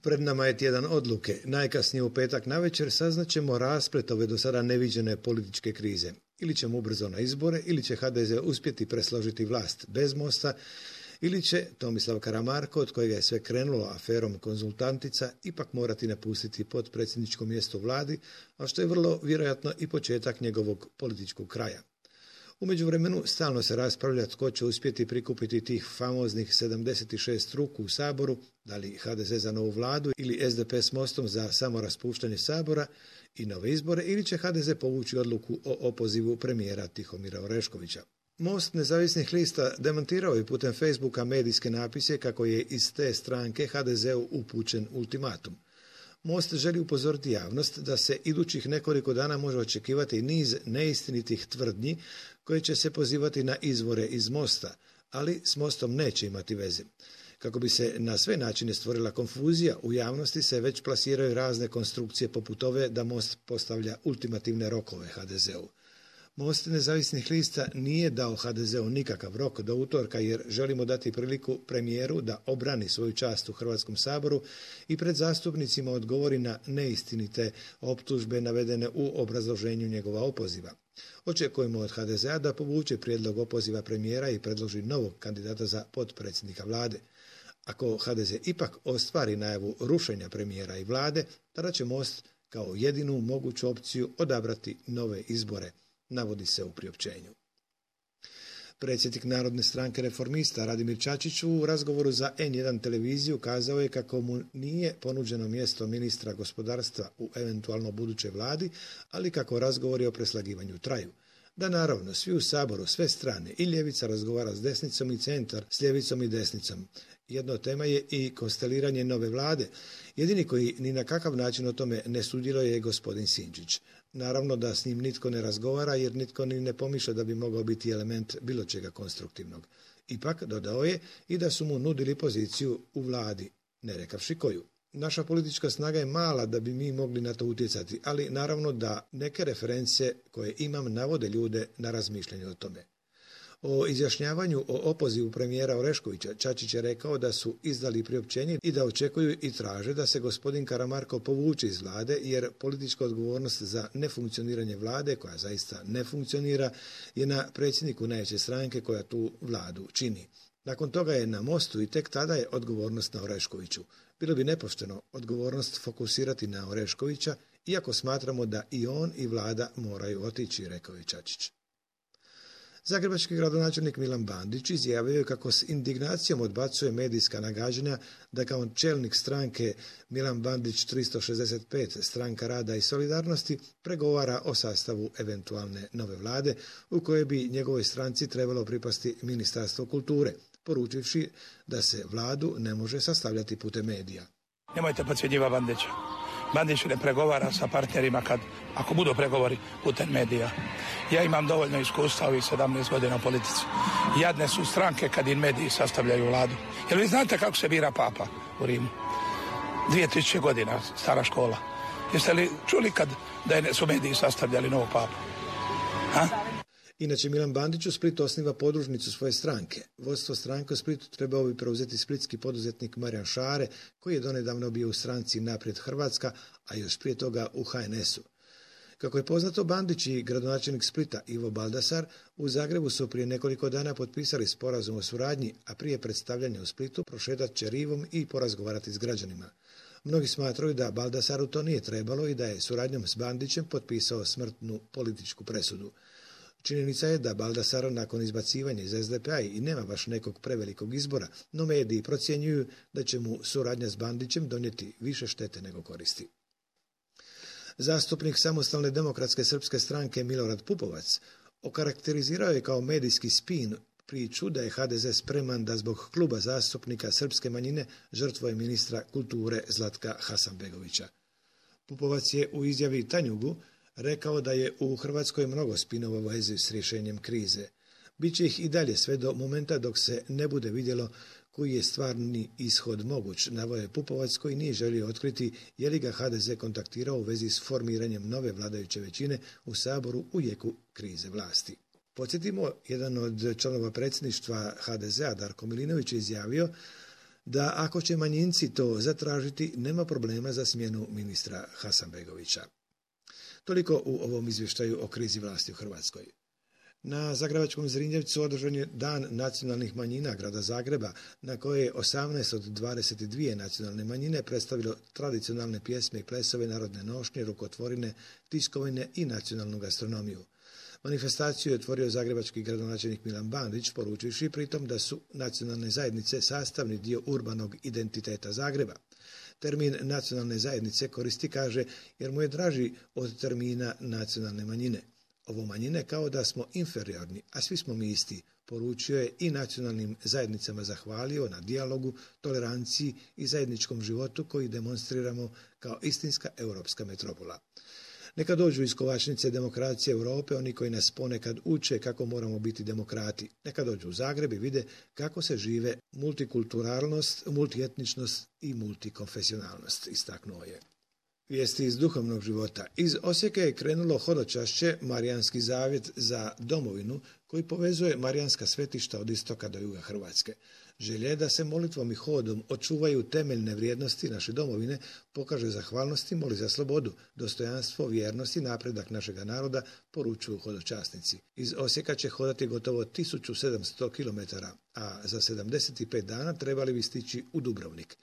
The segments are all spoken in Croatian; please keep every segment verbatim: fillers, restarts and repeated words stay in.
Pred nama je tjedan odluke. Najkasnije u petak navečer saznaćemo rasplet ove do sada neviđene političke krize. Ili ćemo ubrzo na izbore, ili će ha de ze uspjeti presložiti vlast bez Mosta, ili će Tomislav Karamarko, od kojega je sve krenulo aferom konzultantica, ipak morati napustiti potpredsjedničko mjesto u vladi, a što je vrlo vjerojatno i početak njegovog političkog kraja. U međuvremenu stalno se raspravlja tko će uspjeti prikupiti tih famoznih sedamdeset šest ruku u Saboru, da li ha de ze za novu vladu ili es de pe s Mostom za samoraspuštanje Sabora i nove izbore, ili će ha de ze povući odluku o opozivu premijera Tihomira Oreškovića. Most nezavisnih lista demantirao je putem Facebooka medijske napise kako je iz te stranke ha de zeu upućen ultimatum. Most želi upozoriti javnost da se idućih nekoliko dana može očekivati niz neistinitih tvrdnji koje će se pozivati na izvore iz Mosta, ali s Mostom neće imati veze. Kako bi se na sve načine stvorila konfuzija, u javnosti se već plasiraju razne konstrukcije poput ove da Most postavlja ultimativne rokove ha de zeu. Most nezavisnih lista nije dao ha de zeu nikakav rok do utorka jer želimo dati priliku premijeru da obrani svoju čast u Hrvatskom saboru i pred zastupnicima odgovori na neistinite optužbe navedene u obrazloženju njegova opoziva. Očekujemo od ha de zea da povuče prijedlog opoziva premijera i predloži novog kandidata za potpredsjednika vlade. Ako ha de ze ipak ostvari najavu rušenja premijera i vlade, tada će Most kao jedinu moguću opciju odabrati nove izbore, navodi se u priopćenju. Predsjednik Narodne stranke reformista Radimir Čačić u razgovoru za en jedan televiziju kazao je kako mu nije ponuđeno mjesto ministra gospodarstva u eventualno budućoj vladi, ali kako razgovori o preslagivanju traju. Da naravno, svi u Saboru, sve strane, i ljevica razgovara s desnicom i centar s ljevicom i desnicom. Jedno tema je i konsteliranje nove vlade. Jedini koji ni na kakav način o tome ne sudjeluje je gospodin Sinčić. Naravno da s njim nitko ne razgovara jer nitko ni ne pomišlja da bi mogao biti element bilo čega konstruktivnog. Ipak dodao je i da su mu nudili poziciju u vladi, ne rekavši koju. Naša politička snaga je mala da bi mi mogli na to utjecati, ali naravno da neke reference koje imam navode ljude na razmišljanje o tome. O izjašnjavanju o opozivu premijera Oreškovića Čačić je rekao da su izdali priopćenje i da očekuju i traže da se gospodin Karamarko povuče iz vlade jer politička odgovornost za nefunkcioniranje vlade, koja zaista ne funkcionira, je na predsjedniku najveće stranke koja tu vladu čini. Nakon toga je na Mostu i tek tada je odgovornost na Oreškoviću. Bilo bi nepošteno odgovornost fokusirati na Oreškovića, iako smatramo da i on i vlada moraju otići, rekao je Čačić. Zagrebački gradonačelnik Milan Bandić izjavio je kako s indignacijom odbacuje medijska nagađanja da kao čelnik stranke Milan Bandić tristo šezdeset pet, Stranka rada i solidarnosti, pregovara o sastavu eventualne nove vlade u kojoj bi njegovoj stranci trebalo pripasti Ministarstvo kulture, poručivši da se vladu ne može sastavljati putem medija. Nemojte podcjenjivati Bandića. Bandić ne pregovara sa partnerima kad, ako budu pregovori putem medija. Ja imam dovoljno iskustva ovih sedamnaest godina u politici. Jadne su stranke kad im mediji sastavljaju vladu. Jer vi znate kako se bira papa u Rimu? dvije tisuće godina, stara škola. Jeste li čuli kad da su mediji sastavljali novog papu? Ha? Inače, Milan Bandić u Splitu osniva podružnicu svoje stranke. Vodstvo stranke u Splitu trebao bi preuzeti splitski poduzetnik Marijan Šare, koji je donedavno bio u stranci Naprijed Hrvatska, a još prije toga u ha en esu. Kako je poznato, Bandić i gradonačelnik Splita Ivo Baldasar u Zagrebu su prije nekoliko dana potpisali sporazum o suradnji, a prije predstavljanja u Splitu prošetat će rivom i porazgovarati s građanima. Mnogi smatraju da Baldasaru to nije trebalo i da je suradnjom s Bandićem potpisao smrtnu političku presudu. Činjenica je da Baldasar nakon izbacivanja iz es de pe a i nema baš nekog prevelikog izbora, no mediji procjenjuju da će mu suradnja s Bandićem donijeti više štete nego koristi. Zastupnik Samostalne demokratske srpske stranke Milorad Pupovac okarakterizirao je kao medijski spin priču da je ha de ze spreman da zbog kluba zastupnika srpske manjine žrtvuje ministra kulture Zlatka Hasanbegovića. Pupovac je u izjavi Tanjugu rekao da je u Hrvatskoj mnogo spinova u vezi s rješenjem krize. Biće ih i dalje sve do momenta dok se ne bude vidjelo koji je stvarni ishod moguć, naveo je Pupovac koji nije želio otkriti je li ga ha de ze kontaktirao u vezi s formiranjem nove vladajuće većine u Saboru u jeku krize vlasti. Podsjetimo, jedan od članova predsjedništva ha de zea, Darko Milinović, je izjavio da ako će manjinci to zatražiti, nema problema za smjenu ministra Hasanbegovića. Toliko u ovom izvještaju o krizi vlasti u Hrvatskoj. Na Zagrebačkom Zrinjevcu održan je Dan nacionalnih manjina grada Zagreba, na koje je osamnaest od dvadeset dvije nacionalne manjine predstavilo tradicionalne pjesme i plesove, narodne nošnje, rukotvorine, tiskovine i nacionalnu gastronomiju. Manifestaciju je otvorio zagrebački gradonačelnik Milan Bandić, poručivši pritom da su nacionalne zajednice sastavni dio urbanog identiteta Zagreba. Termin nacionalne zajednice koristi, kaže, jer mu je draži od termina nacionalne manjine. Ovo manjine kao da smo inferiorni, a svi smo mi isti, poručio je i nacionalnim zajednicama zahvalio na dijalogu, toleranciji i zajedničkom životu koji demonstriramo kao istinska europska metropola. Neka dođu iz kovačnice demokracije Europe oni koji nas ponekad uče kako moramo biti demokrati. Neka dođu u Zagreb i vide kako se žive multikulturalnost, multietničnost i multikonfesionalnost, istaknuo je. Vijesti iz duhovnog života. Iz Osijeka je krenulo hodočašće Marijanski zavjet za domovinu koji povezuje marijanska svetišta od istoka do juga Hrvatske. Želja je da se molitvom i hodom očuvaju temeljne vrijednosti naše domovine, pokaže zahvalnost i moli za slobodu, dostojanstvo, vjernost i napredak našega naroda, poručuju hodočasnici. Iz Osijeka će hodati gotovo tisuću sedamsto kilometara, a za sedamdeset pet dana trebali bi stići u Dubrovnik.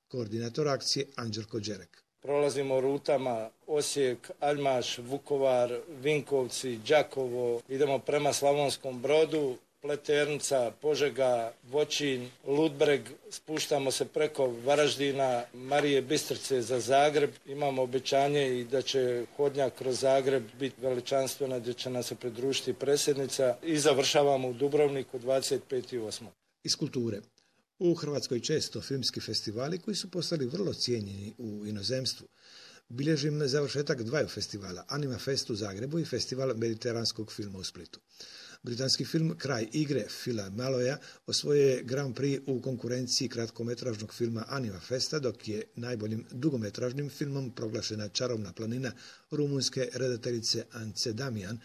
Koordinator akcije Anđelko Đerek. Prolazimo rutama Osijek, Aljmaš, Vukovar, Vinkovci, Đakovo, idemo prema Slavonskom Brodu, Pleternica, Požega, Voćin, Ludbreg, spuštamo se preko Varaždina, Marije Bistrice za Zagreb. Imamo obećanje i da će hodnjak kroz Zagreb biti veličanstvena, gdje će nam se pridružiti predsjednica i završavamo u Dubrovniku dvadeset peti osmog Iz kulture. U Hrvatskoj često filmski festivali koji su postali vrlo cijenjeni u inozemstvu. Bilježim završetak dvaju festivala, Anima Fest u Zagrebu i Festival mediteranskog filma u Splitu. Britanski film Kraj igre Phila Maloja osvojio je Grand Prix u konkurenciji kratkometražnog filma Anima Festa, dok je najboljim dugometražnim filmom proglašena Čarobna planina rumunjske redateljice Ance Damian.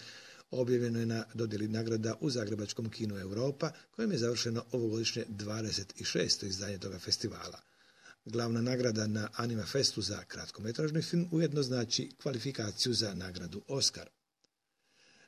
Objavljeno je na dodjeli nagrada u Zagrebačkom kinu Europa, kojem je završeno ovogodišnje dvadeset šesto izdanje toga festivala. Glavna nagrada na Anima Festu za kratkometražni film ujedno znači kvalifikaciju za nagradu Oscar.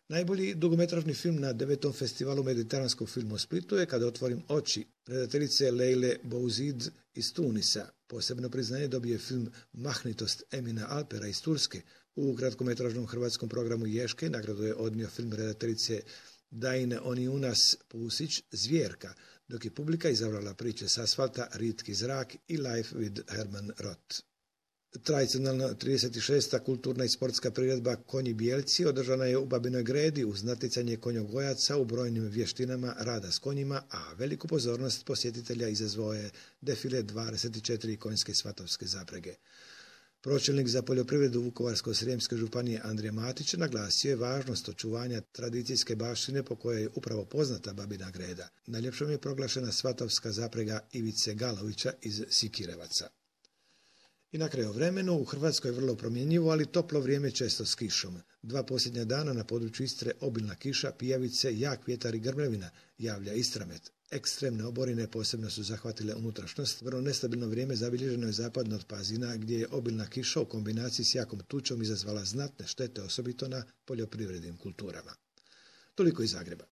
Najbolji dugometražni film na devetom festivalu mediteranskog filma u Splitu je Kada otvorim oči, redateljice Leile Bouzid iz Tunisa. Posebno priznanje dobije film Mahnitost Emina Alpera iz Turske. U kratkometražnom hrvatskom programu Ješke nagradu je odnio film redateljice Dajne Oniunas Pusić Zvjerka, dok je publika izabrala priče s asfalta Ritki zrak i Life with Herman Roth. Tradicionalna trideset šesta kulturna i sportska priredba Konji bijelci održana je u Babinoj Gredi uz natjecanje konjogojaca u brojnim vještinama rada s konjima, a veliku pozornost posjetitelja izazvao je defile dvadeset četiri konjske svatovske zaprege. Pročelnik za poljoprivredu Vukovarsko-srijemske županije Andrija Matić naglasio je važnost očuvanja tradicijske baštine po kojoj je upravo poznata Babina Greda. Najljepšom je proglašena svatovska zaprega Ivice Galovića iz Sikirevaca. I na kraju vremenu u Hrvatskoj je vrlo promjenjivo, ali toplo vrijeme često s kišom. Dva posljednja dana na području Istre obilna kiša, pijavice, jak vjetar i grmljavina, javlja Istramet. Ekstremne oborine posebno su zahvatile unutrašnjost. Vrlo nestabilno vrijeme zabilježeno je zapadno od Pazina, gdje je obilna kiša u kombinaciji s jakom tučom izazvala znatne štete, osobito na poljoprivrednim kulturama. Toliko iz Zagreba.